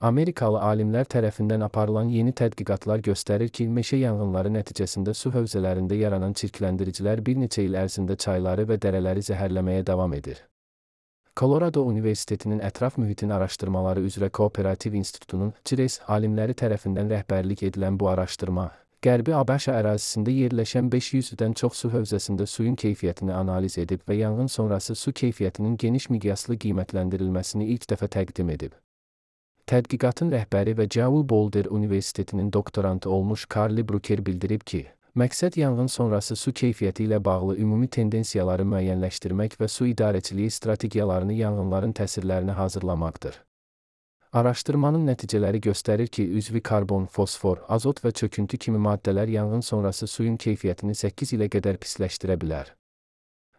Amerikalı alimlər tərəfindən aparılan yeni tədqiqatlar göstərir ki, meşə yanğınları nəticəsində su hövzələrində yaranan çirkləndiricilər bir neçə il ərzində çayları və dərələri zəhərləməyə davam edir. Colorado Universitetinin Ətraf Mühitin Araşdırmaları üzrə Kooperativ İnstitutunun CIRES alimləri tərəfindən rəhbərlik edilən bu araşdırma, Qərbi ABŞ ərazisində yerləşən 500-dən çox su hövzəsində suyun keyfiyyətini analiz edib və yanğın sonrası su keyfiyyətinin geniş miqyaslı qiymətləndirilməsini ilk dəfə təqdim edib. Tədqiqatın rəhbəri və Jewel Boulder Universitetinin doktorantı olmuş Carly Brooker bildirib ki, məqsəd yanğın sonrası su keyfiyyəti ilə bağlı ümumi tendensiyaları müəyyənləşdirmək və su idarəçiliyi strategiyalarını yanğınların təsirlərinə hazırlamaqdır. Araşdırmanın nəticələri göstərir ki, üzvi karbon, fosfor, azot və çöküntü kimi maddələr yanğın sonrası suyun keyfiyyətini 8 ilə qədər pisləşdirə bilər.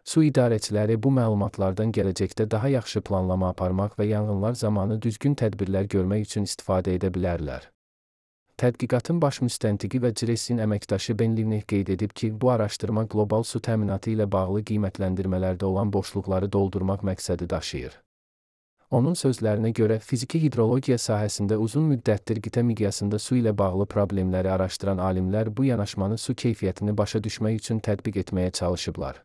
Su idarəçiləri bu məlumatlardan gələcəkdə daha yaxşı planlama aparmaq və yanğınlar zamanı düzgün tədbirlər görmək üçün istifadə edə bilərlər. Tədqiqatın baş müstəntiqi və CIRES-in əməkdaşı Ben Livney qeyd edib ki, bu araşdırma qlobal su təminatı ilə bağlı qiymətləndirmələrdə olan boşluqları doldurmaq məqsədi daşıyır. Onun sözlərinə görə, fiziki hidrologiya sahəsində uzun müddətdir qitə miqyasında su ilə bağlı problemləri araşdıran alimlər bu yanaşmanı su keyfiyyətini başa düşmək üçün tətbiq etməyə çalışıblar.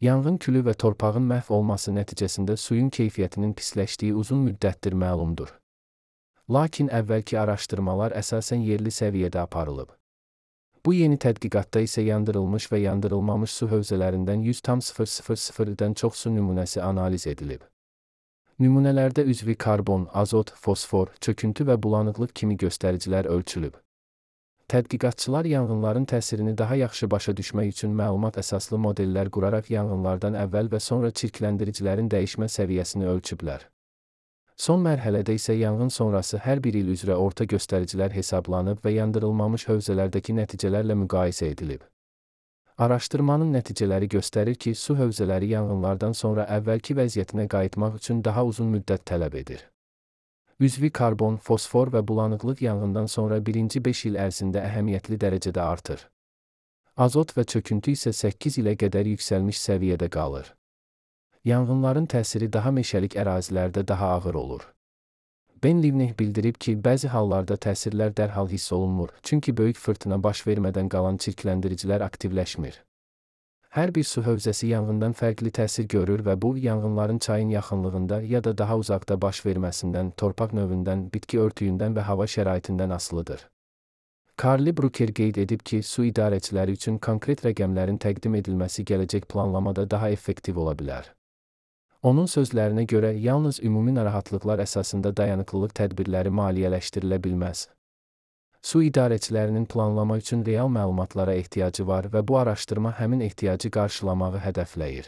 Yanğın külü və torpağın məhv olması nəticəsində suyun keyfiyyətinin pisləşdiyi uzun müddətdir məlumdur. Lakin əvvəlki araşdırmalar əsasən yerli səviyyədə aparılıb. Bu yeni tədqiqatda isə yandırılmış və yandırılmamış su hövzələrindən 100,000-dən çox su nümunəsi analiz edilib. Nümunələrdə üzvi karbon, azot, fosfor, çöküntü və bulanıqlıq kimi göstəricilər ölçülüb. Tədqiqatçılar yanğınların təsirini daha yaxşı başa düşmək üçün məlumat əsaslı modellər quraraq yanğınlardan əvvəl və sonra çirkləndiricilərin dəyişmə səviyyəsini ölçüblər. Son mərhələdə isə yanğın sonrası hər bir il üzrə orta göstəricilər hesablanıb və yandırılmamış hövzələrdəki nəticələrlə müqayisə edilib. Araşdırmanın nəticələri göstərir ki, su hövzələri yanğınlardan sonra əvvəlki vəziyyətinə qayıtmaq üçün daha uzun müddət tələb edir. Üzvi karbon, fosfor və bulanıqlıq yanğından sonra birinci 5 il ərzində əhəmiyyətli dərəcədə artır. Azot və çöküntü isə 8 ilə qədər yüksəlmiş səviyyədə qalır. Yanğınların təsiri daha meşəlik ərazilərdə daha ağır olur. Ben Livney bildirib ki, bəzi hallarda təsirlər dərhal hiss olunmur, çünki böyük fırtına baş vermədən qalan çirkləndiricilər aktivləşmir. Hər bir su hövzəsi yanğından fərqli təsir görür və bu, yanğınların çayın yaxınlığında ya da daha uzaqda baş verməsindən, torpaq növündən, bitki örtüyündən və hava şəraitindən asılıdır. Carly Brooker qeyd edib ki, su idarəçiləri üçün konkret rəqəmlərin təqdim edilməsi gələcək planlamada daha effektiv ola bilər. Onun sözlərinə görə, yalnız ümumi narahatlıqlar əsasında dayanıqlılıq tədbirləri maliyyələşdirilə bilməz. Su idarəçilərinin planlama üçün real məlumatlara ehtiyacı var və bu araşdırma həmin ehtiyacı qarşılamağı hədəfləyir.